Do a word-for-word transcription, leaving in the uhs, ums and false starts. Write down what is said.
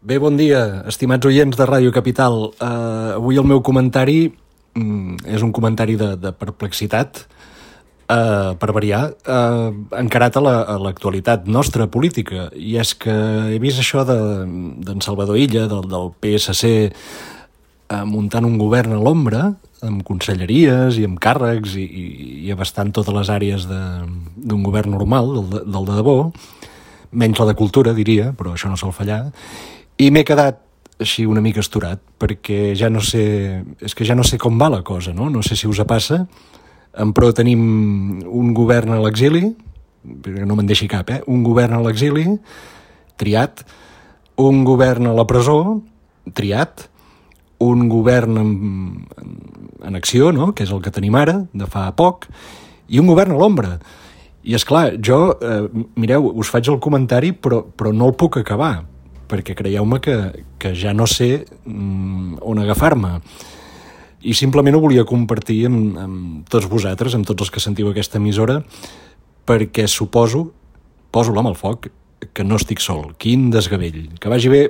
Bé, bon dia, estimats oients de Ràdio Capital. Uh, avui el meu comentari um, és un comentari de, de perplexitat, uh, per variar, uh, encarat a la, a l'actualitat nostra política. I és que he vist això de, d'en Salvador Illa, del, del P S C, uh, muntant un govern a l'ombra, amb conselleries i amb càrrecs i, i, i abastant totes les àrees de, d'un govern normal, del, del de debò, menys la de cultura, diria, però això no sol fallar. I m'he quedat així una mica asturat, perquè ja no sé... És que ja no sé com va la cosa, no? No sé si us passa. En pro tenim un govern a l'exili, perquè no me'n deixi cap, eh? Un govern a l'exili, triat. Un govern a la presó, triat. Un govern en, en acció, no? Que és el que tenim ara, de fa poc. I un govern a l'ombra. I és clar, jo, eh, mireu, us faig el comentari, però, però no el puc acabar, perquè creieu-me que, que ja no sé mm, on agafar-me. I simplement ho volia compartir amb, amb tots vosaltres, amb tots els que sentiu aquesta emissora, perquè suposo, poso l'ama al foc, que no estic sol. Quin desgavell. Que vagi bé.